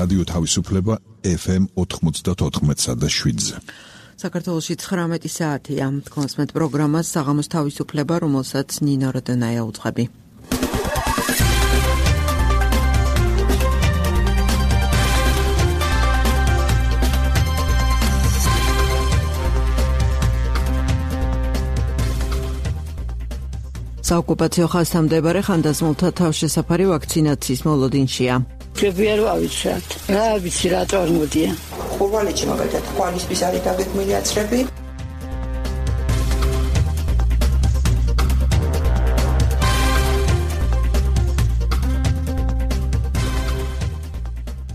რადიო თავისუფლება FM 94.7-ზე. საქართველოში 19 საათია. კონსმეთ პროგრამას საღამოს თავისუფლება, რომელსაც ნინო როდონაია უძღვები. საოკუპაციო ხაზთან მდებარე ხანდაზმულთა თავშესაფარი ვაქცინაციის მოლოდინშია. Trebuie avicet. Რა ვიცი რა წარმოდია. ხურვალიჩი მაგალითად ხვალისთვის არის დაგეგმილი აცრები.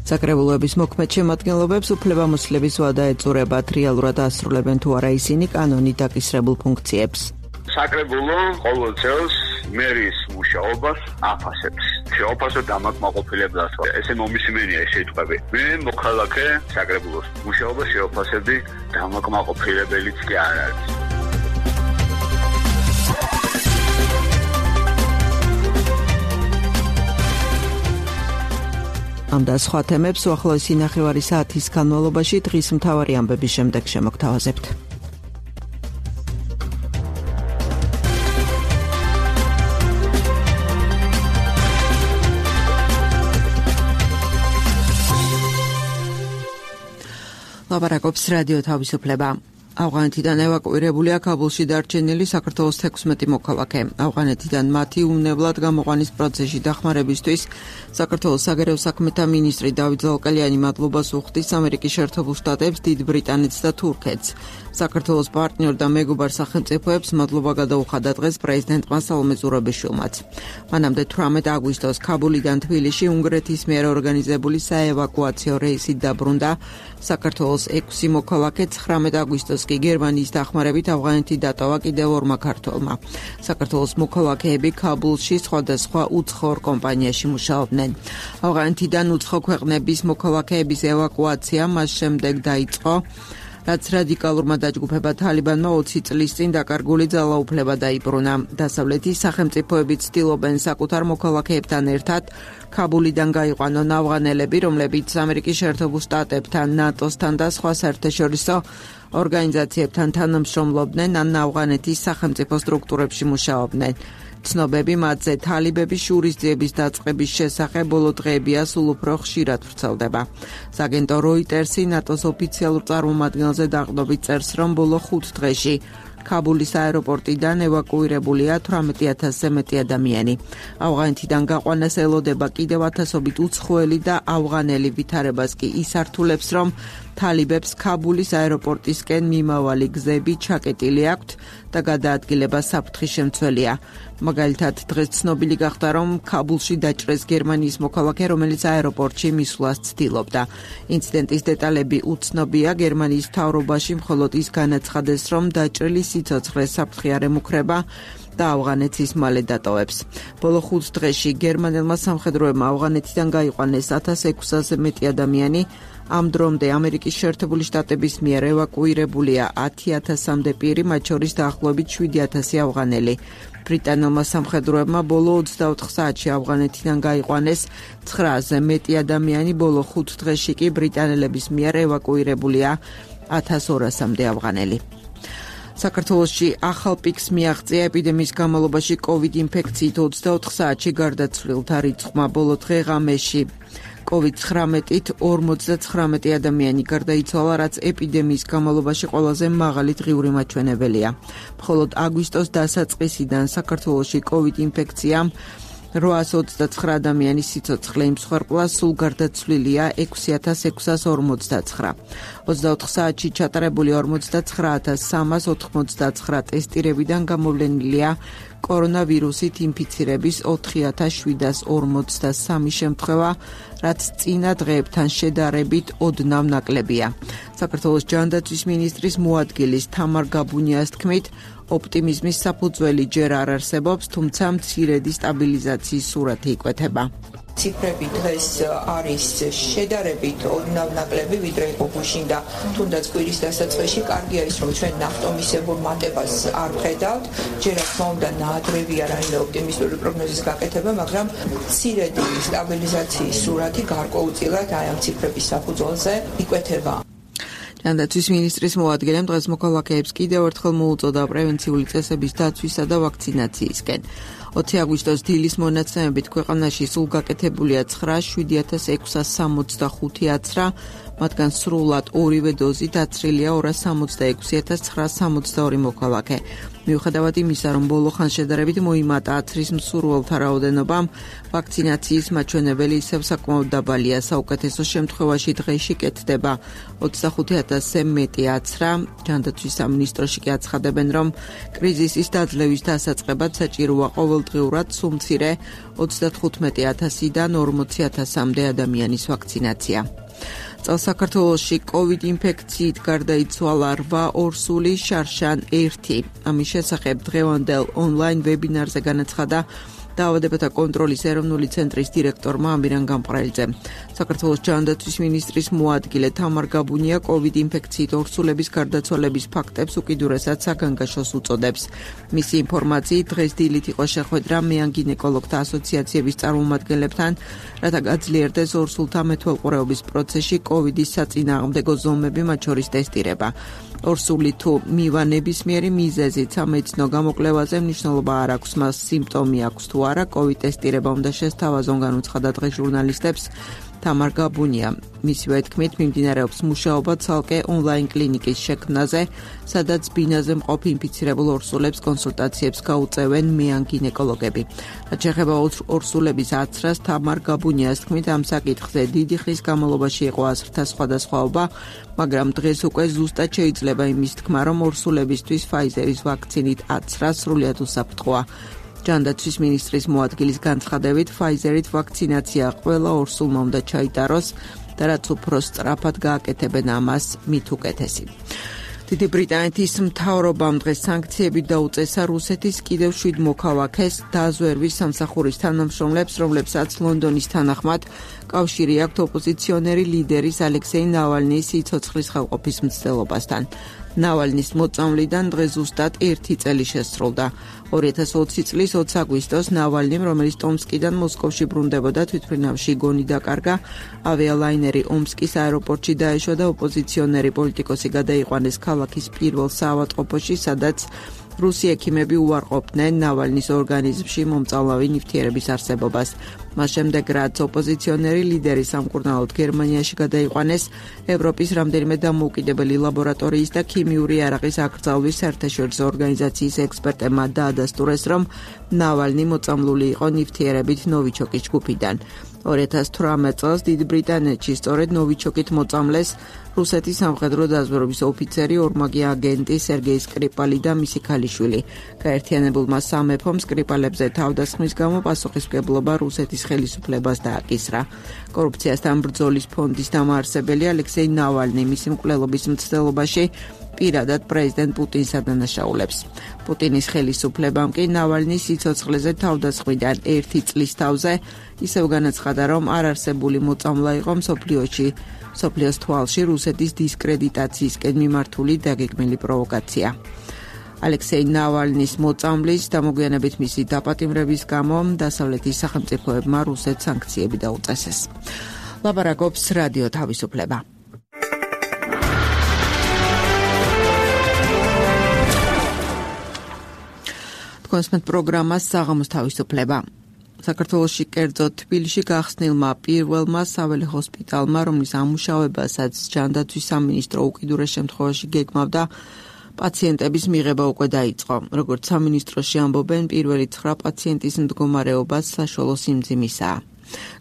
საკრებულოების მოქმედ შემადგენლობებს უფლებამოსილების ვადა ეწურებათ, რეალურად ასრულებენ თუ არა ისინი კანონით დაკისრებულ ფუნქციებს. საკრებულო ყოველ წელს მერის მუშაობას აფასებს. შეაფასო დამაკმაყოფილებლად. ესე მომისმენია ეს სიტყვები. მე მოქალაქე საკრებულოს მუშაობას შეაფასებდი, დამაკმაყოფილებელიც კი არ არის. ამ და სხვა თემებს უახლოესი ნახევარი საათის განმავლობაში დღის მთავარი ამბების შემდეგ შემოგთავაზებთ. ლაპარაკობს რადიო თავისუფლება. ავღანეთიდან ევაკუირებულია კაბულში დარჩენილი საქართველოს 16 მოქალაქე. ავღანეთიდან მათი უნებლად გამოყვანის პროცესში დახმარებისთვის საქართველოს საგარეო საქმეთა მინისტრი დავით ზალკალიანი მადლობას უხდის ამერიკის შეერთებულ შტატებს, დიდ ბრიტანეთს და თურქეთს. საქართველოს პარტნიორ და მეგობარ სახელმწიფოებს მადლობა გადაუხადა დღეს პრეზიდენტმა სალომე ზურაბიშვილმაც. მანამდე 18 აგვისტოს ქაბულიდან თბილისში უნგრეთის მიერ ორგანიზებული საევაკუაციო რეისით დაბრუნდა საქართველოს 6 მოქალაქე. 19 აგვისტოს კი გერმანიის დახმარებით ავღანეთი დატოვა კიდევ ორმა ქართველმა. საქართველოს მოქალაქეები ქაბულში სხვადასხვა უცხოურ კომპანიაში მუშაობდნენ. ავღანეთიდან უცხო ქვეყნების მოქალაქეების ევაკუაცია მას შემდეგ დაიწყო, რაც რადიკალურმა დაჯგუფება თალიბანმა 20 წლის წინ დაკარგული ძალაუფლება დაიბრუნა. დასავლეთის სახელმწიფოები ცდილობენ საკუთარ მოქალაქეებთან ერთად ქაბულიდან გაიყვანონ ავღანელები, რომლებიც ამერიკის შეერთებულ შტატებთან, ნატოსთან და სხვა საერთაშორისო ორგანიზაციებთან თანამშრომლობდნენ ან ავღანეთის სახელმწიფო სტრუქტურებში მუშაობდნენ. ცნობები მათზე თალიბების შურისძიების დაწყების შესახებ ბოლო დღეებია სულ უფრო ხშირად ვრცელდება. სააგენტო როიტერსი ნატოს ოფიციალურ წარმომადგენელზე დაყრდნობით წერს, რომ ბოლო 5 დღეში ქაბულის აეროპორტიდან ევაკუირებულია 18,000-ზე მეტი ადამიანი. ავღანეთიდან გაყვანას ელოდება კიდევ ათასობით უცხოელი და ავღანელი ვითარებას კი ისართულებს, რომ თალიბებს ქაბულის აეროპორტისკენ მიმავალი გზები ჩაკეტილი აქვთ და გადაადგილება საფრთხის შემცველია. მაგალითად, დღეს ცნობილი გახდა, რომ ქაბულში დაჭრეს გერმანიის მოქალაქე, რომელიც აეროპორტში მისვლას ცდილობდა. ინციდენტის დეტალები უცნობია. გერმანიის მთავრობაში მხოლოდ ის განაცხადეს, რომ დაჭრილი სიცოცხლე საფრთხე არ ემუქრება და ავღანეთს ის მალე დატოვებს. ბოლო 5 დღეში გერმანელმა სამხედროებმა ავღანეთიდან გაიყვანეს 1600-ზე მეტი ადამიანი. ამ დრომდე ამერიკის შეერთებული შტატების მიერ ევაკუირებულია 10,000-მდე პირი, მათ შორის დაახლოებით 7,000 ავღანელი. ბრიტანელმა სამხედროებმა ბოლო 24 საათში ავღანეთიდან გაიყვანეს 900-ზე მეტი ადამიანი. ბოლო 5 დღეში კი ბრიტანელების მიერ ევაკუირებულია 1200-მდე ავღანელი. საქართველოში ახალ პიკს მიაღწია ეპიდემიის განმავლობაში COVID ინფექციით 24 საათში გარდაცვლილთა რიცხვმა. ბოლო დღე-ღამეში COVID-19-ით 59 ადამიანი გარდაიცვალა, რაც ეპიდემიის განმავლობაში ყველაზე მაღალი დღიური მაჩვენებელია. მხოლოდ აგვისტოს დასაწყისიდან საქართველოში COVID ინფექციამ 829 ადამიანის სიცოცხლე იმსხვერპლა, სულ გარდაცვლილია 6649. 24 საათში ჩატარებული 49399 ტესტირებიდან გამოვლენილია კორონავირუსით ინფიცირების 4753 შემთხვევა, რაც წინა დღეებთან შედარებით ოდნავ ნაკლებია. საქართველოს ჯანდაცვის მინისტრის მოადგილის თამარ გაბუნიას თქმით, ოპტიმიზმის საფუძველი ჯერ არ არსებობს, თუმცა მცირედი სტაბილიზაციის სურათი იკვეთება. ციფრები დღეს არის შედარებით ოდნავ ნაკლები, ვიდრე იყო გუშინ და თუნდაც კვირის დასაწყისში კარგია ის, რომ ჩვენ ნახტომისებურ მატებას არ ვხედავთ. ჯერ რა თქმა უნდა ნაადრევია რაიმე ოპტიმისტური პროგნოზის გაკეთება, მაგრამ მცირედი სტაბილიზაციის სურათი გარკვეულწილად აი ამ ციფრების საფუძველზე იკვეთება. ჯანდაცვის მინისტრის მოადგილემ დღეს მოქალაქეებს კიდევ ერთხელ მოუწოდა პრევენციული წესების დაცვისა და ვაქცინაციისკენ. 20 აგვისტოს დილის მონაცემებით ქვეყანაში სულ გაკეთებულია 9,7665 აცრა, მათგან სრულად ორივე დოზით დაცრილია 266,962 მოქალაქე. მიუხედავად იმისა, რომ ბოლო ხანს შედარებით მოიმატა აცრის მსურველთა რაოდენობამ, ვაქცინაციის მაჩვენებელი ისევ საკმაოდ დაბალია. საუკეთესო შემთხვევაში დღეში კეთდება 25,000-ზე მეტი აცრა. ჯანდაცვის სამინისტროში კი აცხადებენ, რომ კრიზისის დაძლევის დასაწყებად საჭიროა ყოველდღიურად სულ მცირე 35,000-დან 40,000-მდე ადამიანის ვაქცინაცია. წელს საქართველოში COVID ინფექციით გარდაიცვალა 8 ორსული შარშან 1. ამის შესახებ დღევანდელ ონლაინ ვებინარზე განაცხადა დაავადებათა კონტროლის ეროვნული ცენტრის დირექტორმა ამირან გამყრელიძემ. საქართველოს ჯანდაცვის მინისტრის მოადგილე თამარ გაბუნია COVID ინფექციით ორსულების გარდაცვალების ფაქტებს უკიდურესად საგანგაშოს უწოდებს. მისი ინფორმაციით დღეს დილით იყო შეხვედრა მეან გინეკოლოგთა ასოციაციების წარმომადგენლებთან, რათა გაძლიერდეს ორსულთა მეთვალყურეობის პროცესში COVID-ის საწინააღმდეგო ზომები, მათ შორის ტესტირება. ორსული თუ მივა ნებისმიერი მიზეზით სამედიცინო გამოკვლევაზე მნიშვნელობა არ აქვს, მას სიმპტომი აქვს თუ არა, COVID ტესტირება უნდა შესთავაზონ, განუცხადა დღეს ჟურნალისტებს თამარ გაბუნია. მისივე თქმით, მიმდინარეობს მუშაობა ცალკე ონლაინ კლინიკის შექმნაზე, სადაც ბინაზე მყოფ ინფიცირებულ ორსულებს კონსულტაციებს გაუწევენ მეან გინეკოლოგები. რაც შეეხება ორსულების აცრას, თამარ გაბუნიას თქმით, ამ საკითხზე დიდი ხნის განმავლობაში იყო აზრთა სხვადასხვაობა, მაგრამ დღეს უკვე ზუსტად შეიძლება იმის თქმა, რომ ორსულებისთვის Pfizer-ის ვაქცინით აცრა სრულიად უსაფრთხოა. ჯანდაცვის მინისტრის მოადგილის განცხადებით, Pfizer-ით ვაქცინაცია ყველა ორსულმა უნდა ჩაიტაროს და რაც უფრო სწრაფად გააკეთებენ ამას, მით უკეთესი. დიდი ბრიტანეთის მთავრობამ დღეს სანქციები დაუწესა რუსეთის კიდევ 7 მოქალაქეს დაზვერვის სამსახურის თანამშრომლებს, რომლებსაც ლონდონის თანახმად კავშირი აქვთ ოპოზიციონერი ლიდერის ალექსეი ნავალნის სიცოცხლის ხელყოფის მცდელობასთან. ნავალნის მოწამვლიდან დღეს ზუსტად 1 წელი შესრულდა. 2020 წლის 20 აგვისტოს ნავალნიმ, რომელიც ტომსკიდან მოსკოვში ბრუნდებოდა, თვითმფრინავში გონი დაკარგა, ავიალაინერი ომსკის აეროპორტში დაეშვა და ოპოზიციონერი პოლიტიკოსი გადაიყვანეს ქალაქის პირველ საავადმყოფოში, სადაც რუსი ექიმები უარყოფდნენ ნავალნის ორგანიზმში მომწავლავი ნივთიერების არსებობას. მას შემდეგ, რაც ოპოზიციონერი ლიდერი სამკურნალოდ გერმანიაში გადაიყვანეს, ევროპის რამდენიმე დამოუკიდებელი ლაბორატორიის და ქიმიური იარაღის აკრძალვის საერთაშორისო ორგანიზაციის ექსპერტებმა დაადასტურეს, რომ ნავალნი მოწამლული იყო ნივთიერებით ნოვიჩოკის ჯგუფიდან. 2018 წელს დიდ ბრიტანეთში სწორედ ნოვიჩოკით მოწამლეს რუსეთის სამხედრო დაზვერვის ოფიცერი, ორმაგი აგენტი სერგეი სკრიპალი და მისი ქალიშვილი. გაერთიანებულმა სამეფომ სკრიპალებზე თავდასხმის გამო პასუხისმგებლობა რუსეთის ხელისუფლებას დააკისრა. კორუფციასთან ბრძოლის ფონდის დამაარსებელი ალექსეი ნავალნი მისი მკვლელობის მცდელობაში პირადად პრეზიდენტ პუტინს ადანაშაულებს. პუტინის ხელისუფლებამ კი ნავალნის სიცოცხლეზე თავდასხმიდან 1 წლის თავზე ისევ განაცხადა, რომ არარსებული მოწამვლა იყო მსოფლიოს თვალში რუსეთის დისკრედიტაციისკენ მიმართული დაგეგმილი პროვოკაცია. ალექსეი ნავალნის მოწამვლის გამოგვიანებით მისი დაპატიმრების გამო დასავლეთის სახელმწიფოებმა რუსეთს სანქციები დაუწესეს. ლაპარაკობს რადიო თავისუფლება. კონსმეთ პროგრამას საღამოს თავისუფლება. საქართველოში კერძოდ თბილისში გახსნილმა პირველმა საველე ჰოსპიტალმა, რომლის ამუშავებასაც ჯანდაცვის სამინისტრო უკიდურეს შემთხვევაში გეგმავდა, პაციენტების მიღება უკვე დაიწყო. როგორც სამინისტროში ამბობენ, პირველი 9 პაციენტის მდგომარეობა საშუალო სიმძიმისაა.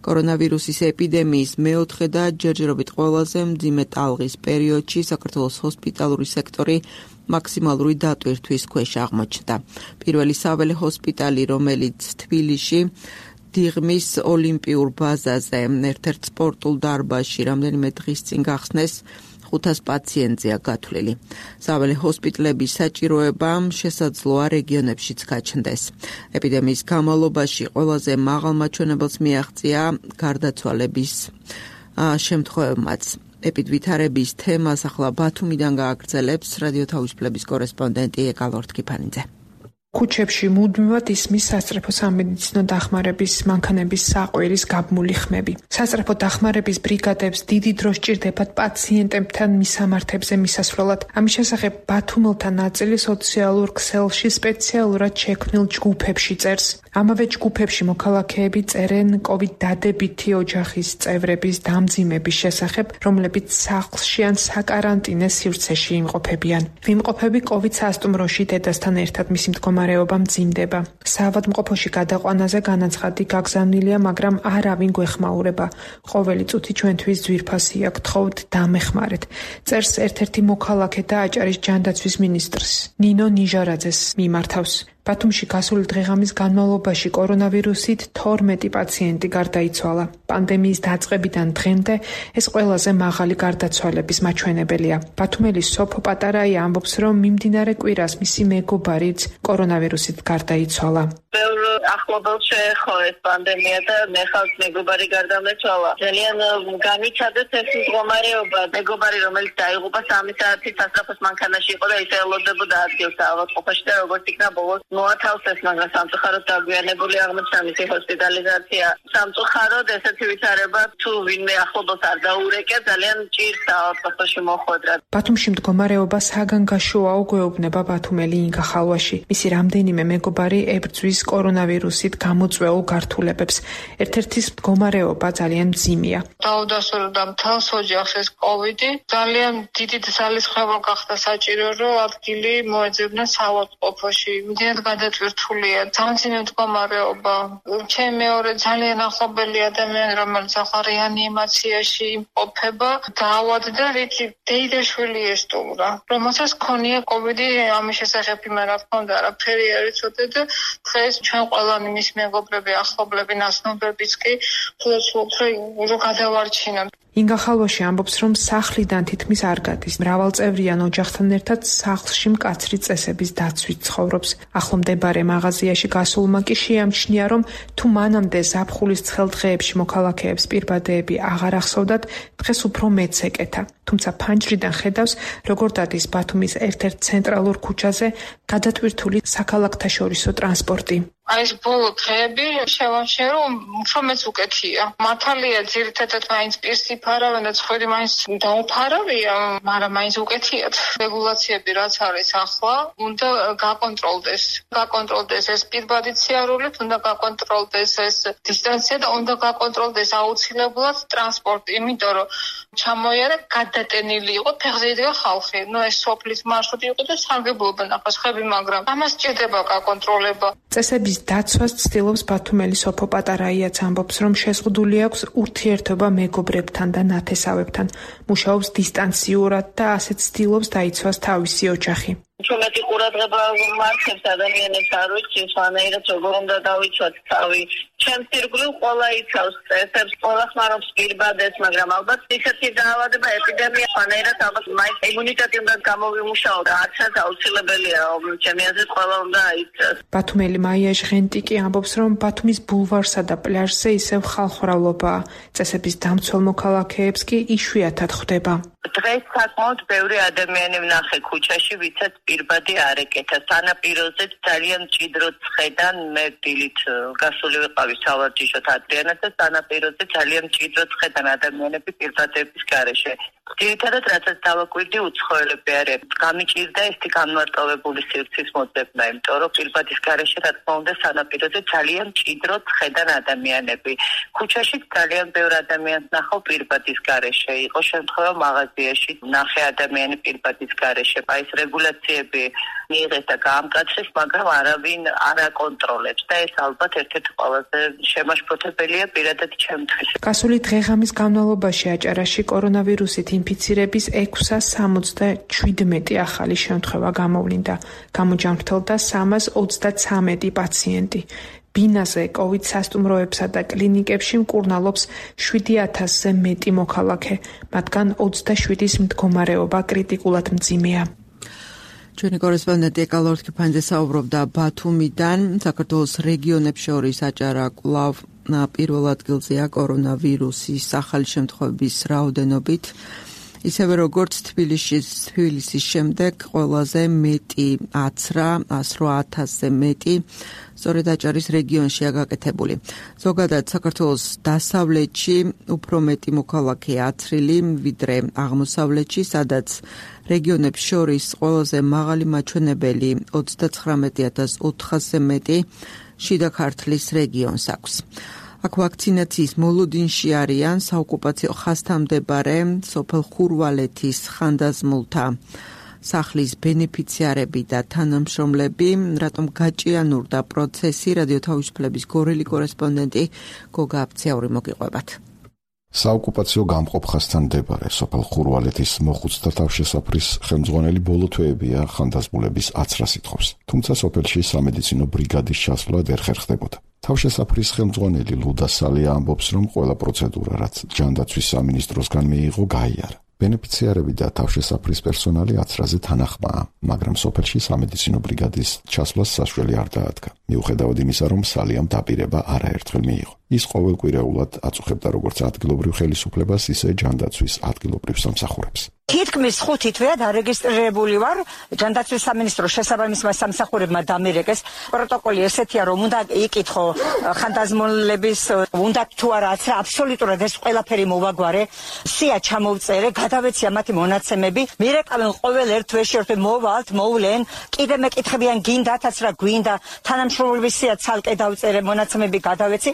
კორონავირუსის ეპიდემიის მეოთხე და ჯერჯერობით ყველაზე მძიმე ტალღის პერიოდში საქართველოს ჰოსპიტალური სექტორი მაქსიმალური დატვირთვის ქვეშ აღმოჩნდა. პირველი საველე ჰოსპიტალი, რომელიც თბილისში დიღმის ოლიმპიურ ბაზაზე ერთ-ერთ სპორტულ დარბაზში რამდენიმე დღის წინ გახსნეს, 1500 პაციენტზეა გათვლილი. სააველი ჰოსპიტალების საჭიროება შესაძლოა რეგიონებშიც გაჩნდეს. ეპიდემიის განმავლობაში ყველაზე მაღალ მაჩვენებელს მიაღწია გარდაცვალების შემთხვევებმაც. ეპიდვითარების თემას ახლა ბათუმიდან გააგრძელებს რადიო თავისუფლების კორესპონდენტი ეკალორთ კიფანიძე. ქუჩებში მუდმივად ისმის სასწრაფო სამედიცინო დახმარების მანქანების საყვირის გაბმული ხმები. სასწრაფო დახმარების ბრიგადებს დიდი დრო სჭირდებათ პაციენტებთან მისამართებზე მისასვლელად. ამის შესახებ ბათუმელთა ნაწილი სოციალურ ქსელში სპეციალურად შექმნილ ჯგუფებში წერს. ამავე ჯგუფებში მოქალაქეები წერენ COVID დადებითი ოჯახის წევრების დამძიმების შესახებ, რომლებიც სახლში ან საკარანტინე სივრცეში იმყოფებიან. ვიმყოფები COVID სასტუმროში დედასთან ერთად მისი მდგომარეობა მძიმდება. საავადმყოფოში გადაყვანაზე განაცხადი გაგზავნილია, მაგრამ არავინ გვეხმაურება. ყოველი წუთი ჩვენთვის ძვირფასია, გთხოვთ დამეხმარეთ. წერს ერთ-ერთი მოქალაქე და აჭარის ჯანდაცვის მინისტრს ნინო ნიჟარაძეს მიმართავს. ბათუმში გასული დღეღამის განმავლობაში კორონავირუსით 12 პაციენტი გარდაიცვალა. პანდემიის დაწყებიდან დღემდე ეს ყველაზე მაღალი გარდაცვალების მაჩვენებელია. ბათუმელის სოფო პატარაია ამბობს, რომ მიმდინარე კვირას მისი მეგობარიც კორონავირუსით გარდაიცვალა. ბევრ ახლობელს შეეხო ეს პანდემია და მე ხალხ მეგობარი გარდამეცვალა. ძალიან განიცადეთ ეს მდგომარეობა. მეგობარი, რომელიც დაიღუპა 3 საათის სასწრაფოს მანქანაში იყო და ისე ელოდებოდა ადგილს ავადმყოფოში და როგორც იქნა ბოლოს მოათავსეს, მაგრამ სამწუხაროდ დაგვიანებული აღმოჩნდა მისი ჰოსპიტალიზაცია. სამწუხაროდ ესეთი ვითარება თუ ვინმე ახლობელს არ დაურეკე, ძალიან ჭირს ავადმყოფოში მოხვედრა. ბათუმში მდგომარეობა საგანგაშოა უგვეუბნება ბათუმელი ინგა ხალვაში. მისი რამდენიმე მეგობარი ებრძვის კორონავირუსით გამოწვეულ გართულებებს. ერთ-ერთის მდგომარეობა ძალიან მძიმეა. დაუდასტურდა მთელს ოჯახს ეს კოვიდი. ძალიან დიდი ძალისხმევა გახდა საჭირო, რომ ადგილი მოეძებნა საავადმყოფოში. მდიად გადატვირთულია, ძალიან მდგომარეობა. ჩემი მეორე ძალიან ახლობელი ადამიანი, რომელიც ახლა რეანიმაციაში იმყოფება, დაავადდა, რითი დეიდაშვილი ესტუმრა. რომელსაც ჰქონია კოვიდი, ამის შესახებ იმან რა თქმა უნდა არაფერი არ იცოდე და დღეს ჩვენ ყველანი მის მეგობრები, ახლობლები, ნაცნობებიც კი ვფლობთ, რომ გადავარჩინოთ. ინგა ხალვაში ამბობს, რომ სახლიდან თითქმის არ გადის. მრავალწევრიან ოჯახთან ერთად სახლში მკაცრი წესების დაცვით ცხოვრობს. ახლომდებარე მაღაზიაში გასულმა კი შეამჩნია, რომ თუ მანამდე ზაფხულის ცხელ დღეებში მოქალაქეებს პირბადეები აღარ ახსოვდათ, დღეს უფრო მეც ეკეთა. თუმცა ფანჯრიდან ხედავს, როგორ დადის ბათუმის ერთ-ერთ ცენტრალურ ქუჩაზე გადატვირთული საქალაქთაშორისო ტრანსპორტი. ეს ბოლო დღეები შევამჩნიე, რომ უფრო მეც უკეთია. მართალია, ძირითადად მაინც პირს იფარავენ და ცხვირი მაინც დაუფარავია, მაგრამ მაინც უკეთიათ. რეგულაციები რაც არის ახლა, უნდა გაკონტროლდეს. გაკონტროლდეს ეს პირბადი სიარულით, უნდა გაკონტროლდეს ეს დისტანცია და უნდა გაკონტროლდეს აუცილებლად ტრანსპორტი, იმიტომ რომ ჩამოიარა გადატენილი იყო ფეხზე იდგა ხალხი. ეს სოფლის მარშრუტი იყო და სარგებლობენ ახლა ხები, მაგრამ ამას სჭირდება გაკონტროლება. წესების დაცვას ცდილობს ბათუმელი სოფო პატარაიაც ამბობს, რომ შეზღუდული აქვს ურთიერთობა მეგობრებთან და ნათესავებთან. მუშაობს დისტანციურად და ასეც ცდილობს დაიცვას თავისი ოჯახი. Ჩვენეთი ყურადღება მართებს ადამიანებს არ ვიცი, სანაირად როგორ უნდა დავიცვათ თავი. ჩემს ირგვლივ ყველა იცავს წესებს, ყველა ხმარობს პირბადეს, მაგრამ ალბათ ისეთი დაავადება, ეპიდემია, სანაირად ალბათ მაინც იმუნიტეტი უნდა გამოვიმუშაო და არცაც აუცილებელია, ჩემი აზრით ყველა უნდა აიცას. ბათუმელი მაია ჟღენტიკი ამბობს, რომ ბათუმის ბულვარსა და პლაჟზე ისევ ხალხმრავლობაა. წესების დამცველ მოქალაქეებს კი იშვიათად ხვდება. დღეს საკმაოდ ბევრი ადამიანი ვნახე ქუჩაში, ვისაც პირბადი არ ეკეთა. სანაპიროზე ძალიან მჭიდროდ ხედან, მე დილით გასული ვიყავი სავარჯიშოთ ადრიანად და სანაპიროზე ძალიან მჭიდროდ ხედან ადამიანები პირბადების გარეშე. ძირითადად რასაც დავაკვირდი, უცხოელები არიან. გამიჭირდა ესეთი განმარტოვებული სივრცის მოძებნა, იმიტომ რომ პირბადის გარეშე რა თქმა უნდა სანაპიროზე ძალიან მჭიდროდ ხედან ადამიანები. ქუჩაში ძალიან ბევრი ადამიანს ნახავ პირბადის გარეშე. იყო შემთხვევა მაღაზიაში ნახე ადამიანი პირბადის გარეშე. აი ეს რეგულაციები მიიღეს და გაამკაცრეს, მაგრამ არავინ არ აკონტროლებს და ეს ალბათ ერთ-ერთი ყველაზე შემაშფოთებელია პირადად ჩემთვის. გასული დღეღამის განმავლობაში აჭარაში კორონავირუსით ინფიცირების 677 ახალი შემთხვევა გამოვლინდა. გამოჯანმრთელდა 333 პაციენტი. ბინაზე COVID სასტუმროებსა და კლინიკებში მკურნალობს 7000-ზე მეტი მოქალაქე, მათგან 27-ის მდგომარეობა კრიტიკულად მძიმეა. ჩვენი კორესპონდენტი ეკალორ თქიფანიძე საუბრობდა ბათუმიდან. საქართველოს რეგიონებს შორის აჭარა კვლავ პირველ ადგილზეა კორონავირუსის ახალი შემთხვევების რაოდენობით. ისევე როგორც თბილისის შემდეგ ყველაზე მეტი აცრა 108,000-ზე მეტი სწორედ აჭარის რეგიონშია გაკეთებული. ზოგადად საქართველოს დასავლეთში უფრო მეტი მოქალაქე აცრილი ვიდრე აღმოსავლეთში, სადაც რეგიონებს შორის ყველაზე მაღალი მაჩვენებელი 39,400-ზე მეტი შიდა ქართლის რეგიონს აქვს. აქ ვაქცინაციის მოლოდინში არიან საოკუპაციო ხაზთან მდებარე სოფელ ხურვალეთის ხანდაზმულთა სახლის ბენეფიციარები და თანამშრომლები. რატომ გაჭიანურდა პროცესი? რადიო თავისუფლების გორელი კორესპონდენტი გოგა აფციური მოგიყვებათ. საოკუპაციო გამყოფ ხაზთან მდებარე სოფელ ხურვალეთის მოხუცთა თავშესაფრის ხელმძღვანელი ბოლო თვეებია ხანდაზმულების აცრას ითხოვს. თუმცა სოფელში სამედიცინო ბრიგადის ჩასვლა ვერ ხერხდებოდა. თავშესაფრის ხელმძღვანელი ლუდა სალია ამბობს, რომ ყველა პროცედურა, რაც ჯანდაცვის სამინისტროსგან მიიღო, გაიარა. ბენეფიციარები და თავშესაფრის პერსონალი აცრაზე თანახმაა, მაგრამ სოფელში სამედიცინო ბრიგადის ჩასვლას საშუალება არ დაადგა. მიუხედავად იმისა, რომ სალიამ დაპირება არაერთხელ მიიღო. ის ყოველკვირეულად აწუხებდა როგორც ადგილობრივ ხელისუფლებას, ისე ჯანდაცვის ადგილობრივ სამსახურებს. თითქმის 5 თვეა დარეგისტრირებული ვარ ჯანდაცვის სამინისტროს შესაბამისმა სამსახურებმა დამირეკეს. პროტოკოლი ესეთია, რომ უნდა იკითხო ხანდაზმულების უნდა თუ არა აცრა, აბსოლუტურად ეს ყველაფერი მოვაგვარე. სია ჩამოვწერე, გადავეცია მათი მონაცემები, მირეკავენ ყოველ ერთ თვეში რომ მოვალთ, მოვლენ, კიდე მეკითხებიან გინდათ აცრა, გვინდა, თანამშრომლობის სია ცალკე დავწერე, მონაცემები გადავეცი.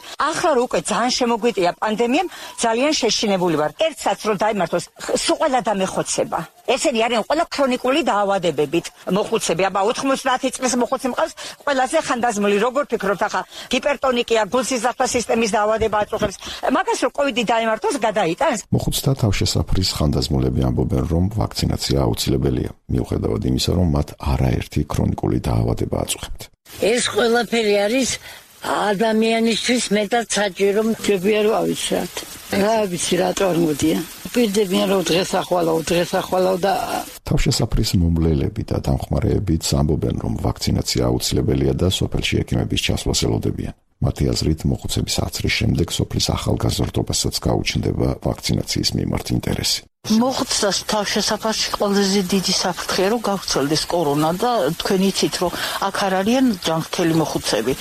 ახლა უკვე ძალიან შემოგვიტია პანდემიამ, ძალიან შეშინებული ვარ. ერთსაც რომ დაიმართოს, სულ ყველა დამეხოცება. ესენი არიან ყველა ქრონიკული დაავადებებით მოხუცები. აბა 90 წლის მოხუცი მყავს, ყველაზე ხანდაზმული. როგორ ფიქრობთ ახლა ჰიპერტონიკია, გულსიზრახვა სისტემის დაავადება აწუხებს. მაგას რომ კოვიდი დაიმართოს, გადაიტანს. მოხუცთა თავშესაფრის ხანდაზმულები ამბობენ, რომ ვაქცინაცია აუცილებელია, მიუხედავად იმისა, რომ მათ არაერთი ქრონიკული დაავადება აწუხებთ. ეს ყველაფერი არის ადამიანისთვის მეტად საჭირო. ჯობია რომ ავიცრათ. რა ვიცი რა წარმოდია. პირდებიან რომ დღეს ახვალავ და თავშესაფრის მომლელები და დამხმარეებიც ამბობენ, რომ ვაქცინაცია აუცილებელია და სოფელში ექიმების ჩასვლას ელოდებიან. მათი აზრით, მოხუცების აცრის შემდეგ სოფლის ახალგაზრდობასაც გაუჩნდება ვაქცინაციის მიმართ ინტერესი. მოხუცას თავშესაფარში ყველაზე დიდი საფრთხეა რომ გავრცელდეს კორონა და თქვენ იცით რომ აქ არ არიან ჯანმრთელი მოხუცები.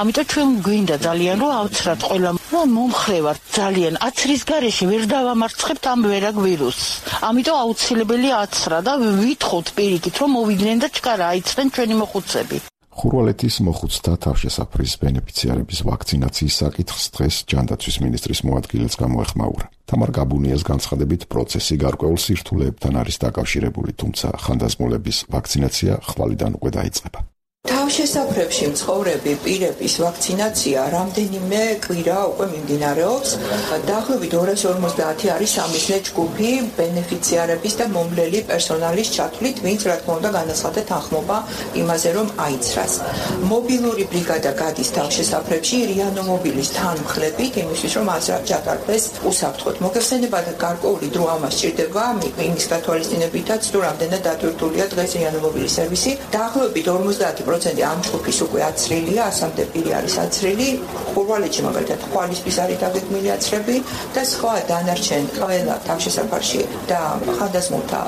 ამიტომ ჩვენ გვინდა ძალიან რომ ავცრათ ყველა მომხრე ვართ ძალიან აცრის გარეშე ვერ დავამარცხებთ ამ ვერაგ ვირუსს. ამიტომ აუცილებელია აცრა და ვითხოვთ პირიქით რომ მოვიდნენ და ჩქარა აიცრენ ჩვენი მოხუცები. ხურვალეთის მოხუცთა თავშესაფრის ბენეფიციარების ვაქცინაციის საკითხს დღეს ჯანდაცვის მინისტრის მოადგილეც გამოეხმაურა. თამარ გაბუნიას განცხადებით, პროცესი გარკვეულ სირთულეებთან არის დაკავშირებული, თუმცა ხანდაზმულების ვაქცინაცია ხვალიდან უკვე დაიწყება. თავშესაფრებში მცხოვრები პირების ვაქცინაცია რამდენიმე კვირა უკვე მიმდინარეობს. დაახლოებით 250 არის სამიზნე ჯგუფი ბენეფიციარების და მომვლელი პერსონალის ჩათვლით, ვინც რა თქმა უნდა განაცხადა თანხმობა იმაზე, რომ აიცრას. მობილური ბრიგადა გადის თავშესაფრებში რიანომობილის თანმხლებით, იმისთვის რომ აცრა ჩატარდეს უსაფრთხოდ. მოგეხსენებათ, გარკვეული დრო ამას სჭირდება, იმის გათვალისწინებითაც, თუ რამდენად დატვირთულია დღეს რიანომობილის სერვისი. დაახლოებით 50% ამ ჯგუფის უკვე აცრილია, 100-მდე პირი არის აცრილი, ხურვალეთში მაგალითად ხვალისთვის არის დაგეგმილი აცრები და სხვა დანარჩენ ყველა თავშესაფარში და ხანდაზმულთა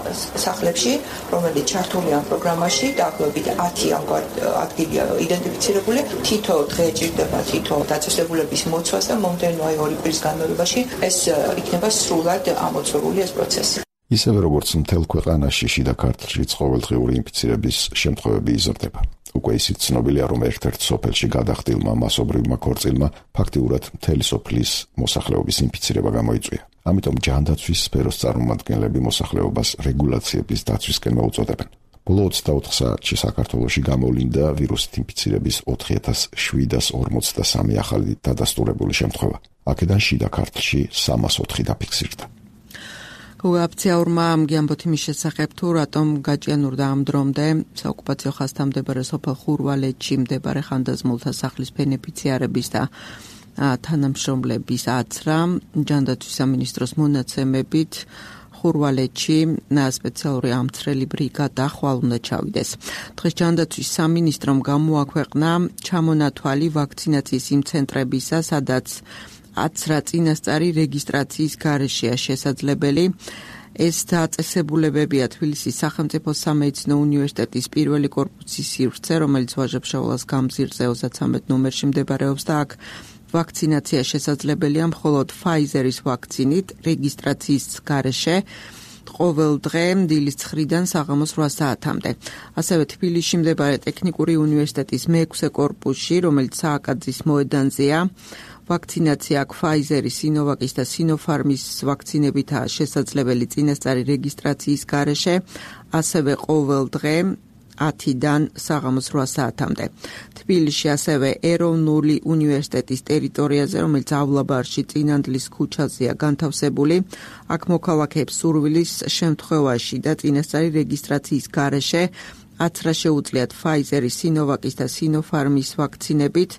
სახლებში, რომელიც ჩართულია ამ პროგრამაში, დაახლოებით 10 ამგვარ ადგილია იდენტიფიცირებული. თითო დღე ჭირდება თითო დაწესებულების მოცვას და მომდევნო 2 კვირის განმავლობაში ეს იქნება სრულად ამოწურული ეს პროცესი. ისევე როგორც მთელ ქვეყანაში შიდა ქართლშიც ყოველდღიური ინფიცირების შემთხვევები იზრდება. უკვე ისიც ცნობილია, რომ ერთ-ერთ სოფელში გადახდილმა მასობრივმა ქორწილმა ფაქტიურად მთელი სოფლის მოსახლეობის ინფიცირება გამოიწვია. ამიტომ ჯანდაცვის სფეროს წარმომადგენლები მოსახლეობას რეგულაციების დაცვისკენ მოუწოდებენ. ბოლო 24 საათში საქართველოში გამოვლინდა ვირუსით ინფიცირების 4743 ახალი დადასტურებული შემთხვევა. აქედან შიდა ქართლში 304 დაფიქსირდა. გოაფციაურმა ამგიანბოთ იმის შესახებ თუ რატომ გაჭიანურდა ამ დრომდე საოკუპაციო ხაზთან მდებარე სოფელ ხურვალეთში მდებარე ხანდაზმულთა სახლის ბენეფიციარების და თანამშრომლების აცრა ჯანდაცვის სამინისტროს მონაცემებით ხურვალეთში სპეციალური ამცრელი ბრიგადა ხვალ უნდა ჩავიდეს. დღეს ჯანდაცვის სამინისტრომ გამოაქვეყნა ჩამონათვალი ვაქცინაციის იმ ცენტრებისა, სადაც აცრა წინასწარი რეგისტრაციის გარეშეა შესაძლებელი. ეს დაწესებულებებია თბილისის სახელმწიფო სამედიცინო უნივერსიტეტის პირველი კორპუსის სივრცე, რომელიც ვაჟა-ფშაველას გამზირზე 33 ნომერში მდებარეობს და აქ ვაქცინაცია შესაძლებელია მხოლოდ Pfizer-ის ვაქცინით რეგისტრაციის გარეშე ყოველ დღე დილის 9-დან საღამოს 8 საათამდე. ასევე თბილისში მდებარე ტექნიკური უნივერსიტეტის მე-6 კორპუსში, რომელიც სააკაძის მოედანზეა, ვაქცინაცია აქ Pfizer-ის, Sinovac-ის და Sinopharm-ის ვაქცინებითაა შესაძლებელი წინასწარი რეგისტრაციის გარეშე, ასევე ყოველ დღე 10-დან საღამოს 8 საათამდე. თბილისში ასევე ეროვნული უნივერსიტეტის ტერიტორიაზე, რომელიც ავლაბარში წინანდლის ქუჩაზეა განთავსებული, აქ მოქალაქეებს სურვილის შემთხვევაში და წინასწარი რეგისტრაციის გარეშე აცრა შეუძლიათ Pfizer-ის, Sinovac-ის და Sinopharm-ის ვაქცინებით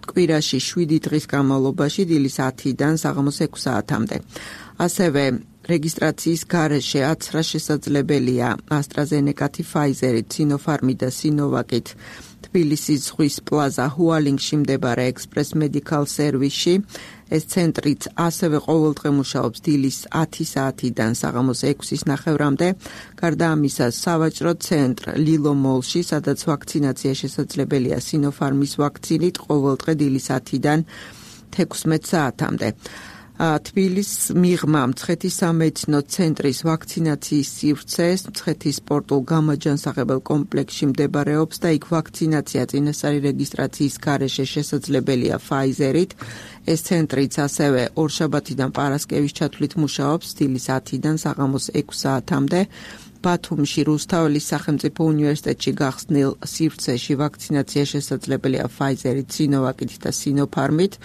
კვირაში 7 დღის განმავლობაში დილის 10-დან საღამოს 6 საათამდე. ასევე რეგისტრაციის გარეშე აცრა შესაძლებელია AstraZeneca-ით, Pfizer-ით, Sinopharm-ით და Sinovac-ით თბილისის ზღვის პლაზა ჰუალინგში მდებარე ექსპრეს მედიკალ სერვისში. ეს ცენტრიც ასევე ყოველდღე მუშაობს დილის 10 საათიდან საღამოს 6-ის ნახევრამდე. გარდა ამისა, სავაჭრო ცენტრ ლილო მოლში, სადაც ვაქცინაცია შესაძლებელია Sinopharm-ის ვაქცინით ყოველდღე დილის 10-დან 16 საათამდე. თბილისის მიღმა მცხეთის სამედიცინო ცენტრის ვაქცინაციის სივრცე მცხეთის სპორტულ გამაჯანსაღებელ კომპლექსში მდებარეობს და იქ ვაქცინაცია წინასწარი რეგისტრაციის გარეშე შესაძლებელია Pfizer-ით. ეს ცენტრიც ასევე ორშაბათიდან პარასკევის ჩათვლით მუშაობს დილის 10-დან საღამოს 6 საათამდე. ბათუმში რუსთაველის სახელმწიფო უნივერსიტეტში გახსნილ სივრცეში ვაქცინაცია შესაძლებელია Pfizer-ით, Sinovac-ით და Sinopharm-ით.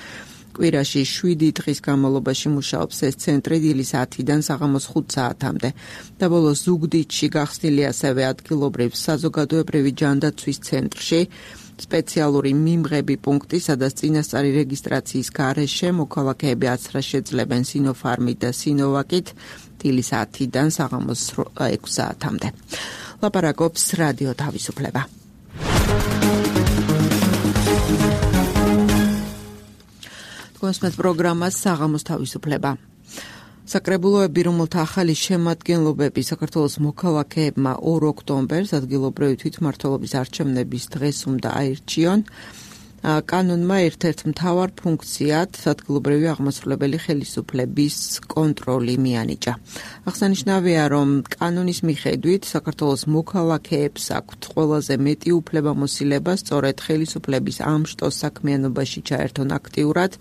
კვირაში 7 დღის განმავლობაში მუშაობს ეს ცენტრი დილის 10-დან საღამოს 5 საათამდე. და ბოლოს ზუგდიდში გახსნილი ასევე ადგილობრივ საზოგადოებრივი ჯანდაცვის ცენტრში სპეციალური მიმღები პუნქტი, სადაც წინასწარი რეგისტრაციის გარეშე მოქალაქეები აცრას შეძლებენ Sinopharm-ით და Sinovac-ით დილის 10-დან საღამოს 6 საათამდე. ლაპარაკობს რადიო თავისუფლება. გასმეთ პროგრამას საღამოს თავისუფლება. საკრებულოები, რომელთა ახალი შემადგენლობები საქართველოს მოქალაქეებმა 2 ოქტომბერს ადგილობრივი თვითმმართველობის არჩევნების დღეს უნდა აირჩიონ, კანონმა ერთ-ერთ მთავარ ფუნქციად ადგილობრივი აღმასრულებელი ხელისუფლების კონტროლი მიანიჭა. აღსანიშნავია, რომ კანონის მიხედვით საქართველოს მოქალაქეებს აქვთ ყველაზე მეტი უფლებამოსილება სწორედ ხელისუფლების ამ შტოს საქმიანობაში ჩაერთონ აქტიურად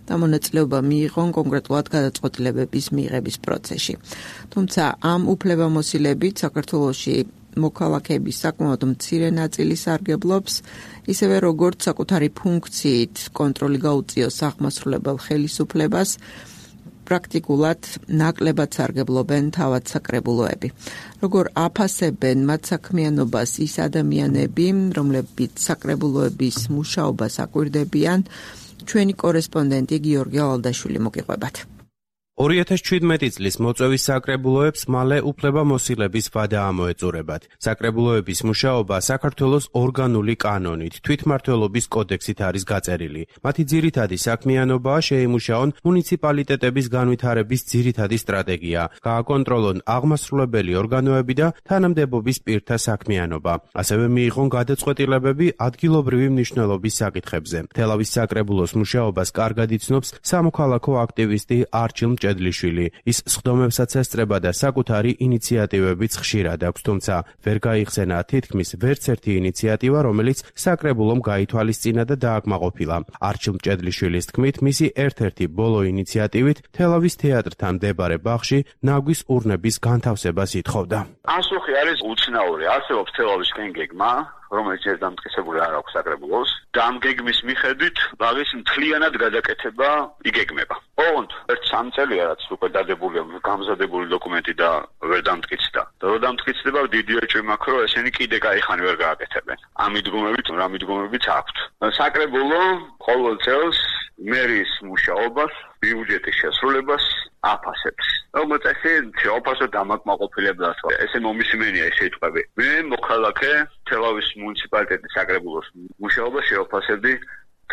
და მონაწილეობა მიიღონ კონკრეტულად გადაწყვეტილებების მიღების პროცესში. თუმცა ამ უფლებამოსილებით საქართველოში მოქალაქეების საკმაოდ მცირე ნაწილი სარგებლობს, ისევე როგორც საკუთარი ფუნქციით კონტროლი გაუწიოს აღმასრულებელ ხელისუფლებას, პრაქტიკულად ნაკლებად სარგებლობენ თავად საკრებულოები. როგორ აფასებენ მათ საქმიანობას ის ადამიანები, რომლებიც საკრებულოების მუშაობას აკვირდებიან, ჩვენი კორესპონდენტი გიორგი ალდაშვილი მოგიყვებათ. 2017 წლის მოწვევის საკრებულოებს მალე უფლებამოსილების ვადა ამოეწურებათ. საკრებულოების მუშაობა საქართველოს ორგანული კანონით, თვითმმართველობის კოდექსით არის გაწერილი. მათი ძირითადი საქმიანობაა შეიმუშაონ მუნიციპალიტეტების განვითარების ძირითადი სტრატეგია, გააკონტროლონ აღმასრულებელი ორგანოები და თანამდებობის პირთა საქმიანობა. ასევე მიიღონ გადაწყვეტილებები ადგილობრივი მნიშვნელობის საკითხებზე. თელავის საკრებულოს მუშაობას კარგად იცნობს სამოქალაქო აქტივისტი არჩილ მჭედლიშვილი. ის სხდომებსაც ესწრება და საკუთარი ინიციატივებიც ხშირად აქვს, თუმცა ვერ გაიხსენა თითქმის ვერც ერთი ინიციატივა, რომელიც საკრებულომ გაითვალისწინა და დააკმაყოფილა. არჩილ მჭედლიშვილის თქმით, მისი ერთ-ერთი ბოლო ინიციატივით თელავის თეატრთან მდებარე ბაღში ნაგვის ურნების განთავსებას ითხოვდა. ასოხი არის უცნაური, არსებობს თელავის კენგეგმა, რომელიც ერთ დამტკიცებული არ აქვს საკრებულოს და ამ გეგმის მიხედვით ბაღის მთლიანად გადაკეთება იგეგმება. ოღონდ ერთ 3 წელია რაც უკვე დადებულია გამზადებული დოკუმენტი და ვერ დამტკიცდა. რო დამტკიცდება დიდი ეჭვი მაქვს, რომ ესენი კიდე кайხანი ვერ გააკეთებენ. ამ მიდგომებით რა მიდგომებიც აქვთ. საკრებულო ყოველ წელს მერის მუშაობას, ბიუჯეტის შესრულებას აფასებს. როგორც ესე შეოფასო დამაკმაყოფილებლად ესე მომისმენია ეს სიტყვები. მე მოქალაქე თელავის მუნიციპალიტეტის საკრებულოს მუშაობას შეოფასებდი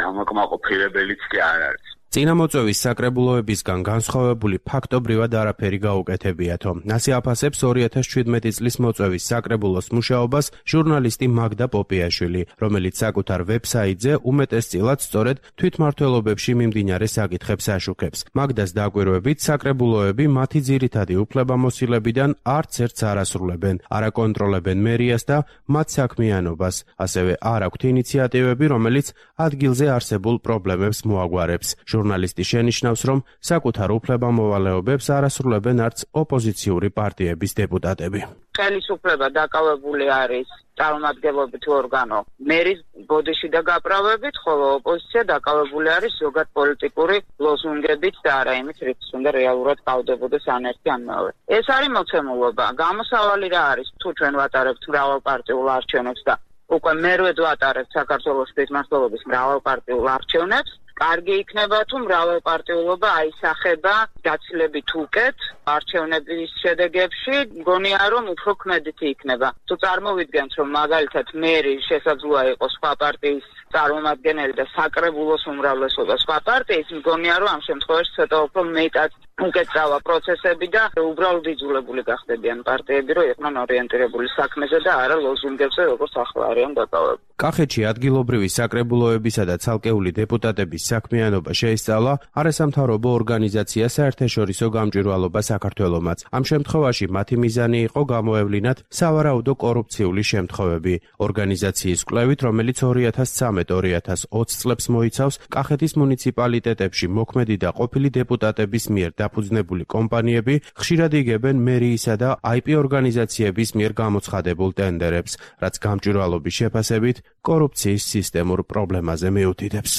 დამაკმაყოფილებელიც კი არ არის. წინამოწვევის საკრებულოებისგან განსხვავებული ფაქტობრივად არაფერი გაუკეთებიათო. ასე აფასებს 2017 წლის მოწვევის საკრებულოს მუშაობას ჟურნალისტი მაგდა პოპიაშვილი, რომელიც საკუთარ ვებსაიტზე უმეტესწილად სწორედ თვითმმართველობებში მიმდინარე საკითხებს აშუქებს. მაგდას დაკვირვებით, საკრებულოები მათი ძირითადი უფლებამოსილებიდან არც ერთს არ ასრულებენ, არ აკონტროლებენ მერიას და მათ საქმიანობას, ასევე არ აქვთ ინიციატივები, რომელიც ადგილზე არსებულ პრობლემებს მოაგვარებს. ჟურნალისტი შენიშნავს, რომ საკუთარ უფლებამოვალეობებს არ ასრულებენ არც ოპოზიციური პარტიების დეპუტატები. ხელისუფლება დაკავებული არის წარმომადგენლობით ორგანო მერის ბოდიში და გაправებით, ხოლო ოპოზიცია დაკავებული არის ზოგად პოლიტიკური ლოზუნგებით და არა იმით, რითიც უნდა რეალურად გავდებოდეს ან ერთი ან მეორე. ეს არის მოცემულობა. გამოსავალი რა არის? თუ ჩვენ ვატარებთ მრავალპარტიულ არჩევნებს და უკვე მერვედ ვატარებთ საქართველოს თვითმმართველობის მრავალპარტიულ არჩევნებს, კარგი იქნება თუ მრავალპარტიულობა აისახება გაცილებით უკეთ არჩევნების შედეგებში, მგონია რომ უფრო ქმედითი იქნება. თუ წარმოვიდგენთ რომ მაგალითად მერი შესაძლოა იყოს სხვა პარტიის წარმომადგენელი და საკრებულოს უმრავლესობა სხვა პარტიის, მგონია რომ ამ შემთხვევაში ცოტა უფრო მეტად უკეთწავა პროცესები და უბრალოდ იძულებული გახდებიან პარტიები, რომ იყვნენ ორიენტირებული საქმეზე და არა ლოზუნგებზე, როგორც ახლა არიან დაკავებული. კახეთში ადგილობრივი საკრებულოებისა და ცალკეული დეპუტატების საქმიანობა შეისწავლა არასამთავრობო ორგანიზაცია საერთაშორისო გამჭვირვალობა საქართველომაც. ამ შემთხვევაში მათი მიზანი იყო გამოევლინათ სავარაუდო კორუფციული შემთხვევები. ორგანიზაციის კვლევით, რომელიც 2013-2020 წლებს მოიცავს, კახეთის მუნიციპალიტეტებში მოქმედი და ყოფილი დეპუტატების მიერ დაფუძნებული კომპანიები ხშირად იგებენ მერიისა და IP ორგანიზაციების მიერ გამოცხადებულ ტენდერებს, რაც გამჭვირვალობის შეფასებით კორუფციის სისტემურ პრობლემაზე მიუთითებს.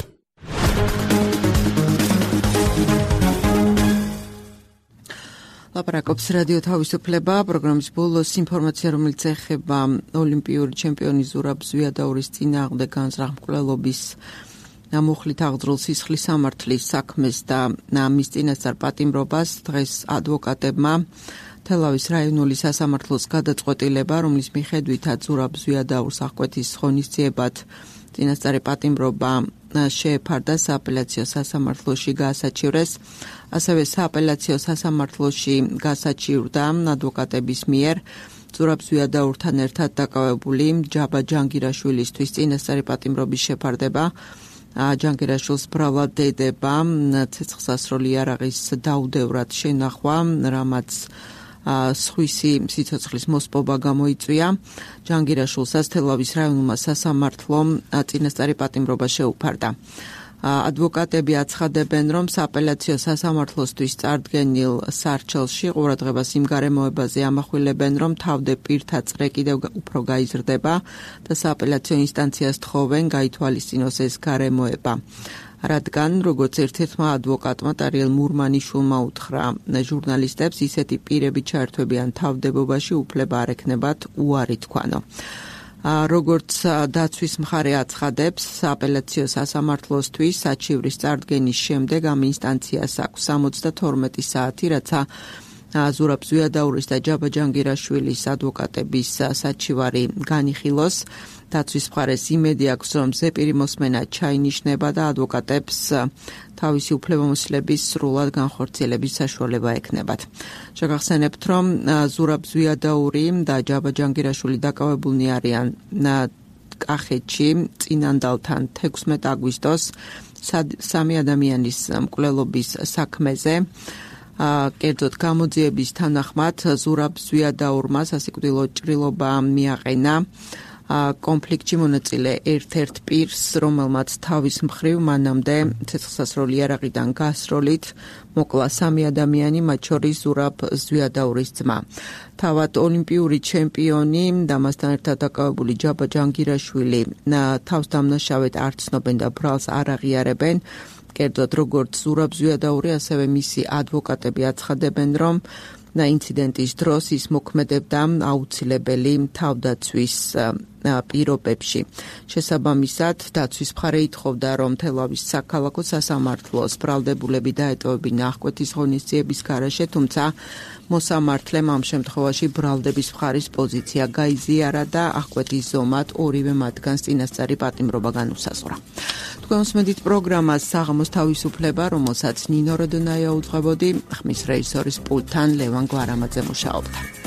ლაპარაკობს რადიო თავისუფლება, პროგრამის ბოლოს ინფორმაცია, რომელიც ეხება ოლიმპიური ჩემპიონი ზურაბ ზვიადაურის წინააღმდეგ განზრახმკვლელობის მუხლით აღძრულ სისხლის სამართლის საქმეს და მის წინასწარ პატიმრობას დღეს ადვოკატებმა თელავის რაიონული სასამართლოს გადაწყვეტილება, რომლის მიხედვითაც ზურაბ ზვიადაურს აღკვეთის ღონისძიებად წინასწარი პატიმრობა შეეფარდა სააპელაციო სასამართლოში გაასაჩივრეს, ასევე სააპელაციო სასამართლოში გაასაჩივრდა ადვოკატების მიერ ზურაბ ზვიადაურთან ერთად დაკავებული ჯაბა ჯანგირაშვილისთვის წინასწარი პატიმრობის შეფარდება. ჯანგირაშვილს ბრალად დედება ცეცხლსასროლი იარაღის დაუდევრად შენახვა, რამაც სხვისი სიცოცხლის მოსპობა გამოიწვია. ჯანგირაშვილსაც თელავის რაიონულმა სასამართლომ წინასწარი პატიმრობა შეუფარდა. ადვოკატები აცხადებენ, რომ სააპელაციო სასამართლოსთვის წარდგენილ სარჩელში ყურადღებას იმ გარემოებაზე ამახვილებენ, რომ თავდე პირთა წრე კიდევ უფრო გაიზრდება და სააპელაციო ინსტანციას თხოვენ გაითვალისწინოს ეს გარემოება. რადგან, როგორც ერთ-ერთმა ადვოკატმა ტარიელ მურმანიშვილმა უთხრა ჟურნალისტებს, ისეთი პირები ჩაერთვებიან თავდებობაში უფლება არ ექნებათ უარი თქვანო. როგორც დაცვის მხარე აცხადებს, სააპელაციო სასამართლოსთვის საჩივრის წარდგენის შემდეგ ამ ინსტანციას აქვს 72 საათი, რაცა ზურაბ ზვიადაურის და ჯაბა ჯანგირაშვილის ადვოკატების საჩივარი განიხილოს. დაცვის მხარეს იმედი აქვს, რომ ზეპირი მოსმენა ჩაინიშნება და ადვოკატებს თავისი უფლებამოსილების სრულად განხორციელების საშუალება ექნებათ. შეგახსენებთ, რომ ზურაბ ზვიადაური და ჯაბა ჯანგირაშვილი დაკავებულნი არიან კახეთში წინანდალთან 16 აგვისტოს სამი ადამიანის მკვლელობის საქმეზე. კერძოდ გამოძიების თანახმად ზურაბ ზვიადაურმა სასიკვდილო ჭრილობა მიაყენა კონფლიქტში მონაწილე ერთ-ერთ პირს, რომელმაც თავის მხრივ მანამდე ცეცხლსასროლი იარაღიდან გასროლით მოკლა 3 ადამიანი, მათ შორის ზურაბ ზვიადაურის ძმა. თავად ოლიმპიური ჩემპიონი და მასთან ერთად დაკავებული ჯაბა ჯანგირაშვილი თავს დამნაშავედ არ ცნობენ და ბრალს არ აღიარებენ. კერძოდ როგორც ზურაბ ზვიადაური, ასევე მისი ადვოკატები აცხადებენ, რომ ინციდენტის დროს ის მოქმედებდა აუცილებელი თავდაცვის პირობებში. შესაბამისად, დაცვის მხარე ითხოვდა, რომ თელავის საქალაქო სასამართლოს ბრალდებულები დაეტოვებინა აღკვეთის ღონისძიების გარეშე, თუმცა მოსამართლემ ამ შემთხვევაში ბრალდების მხარის პოზიცია გაიზიარა და აღკვეთის ზომად ორივე მათგანს წინასწარი პატიმრობა განუსაზღვრა. თქვენ უსმენთ პროგრამას საღამოს თავისუფლება, რომელსაც ნინო როდონაია უძღვებოდი, ხმის რეჟისორის პულტთან ლევან გვარამაძე მუშაობდა.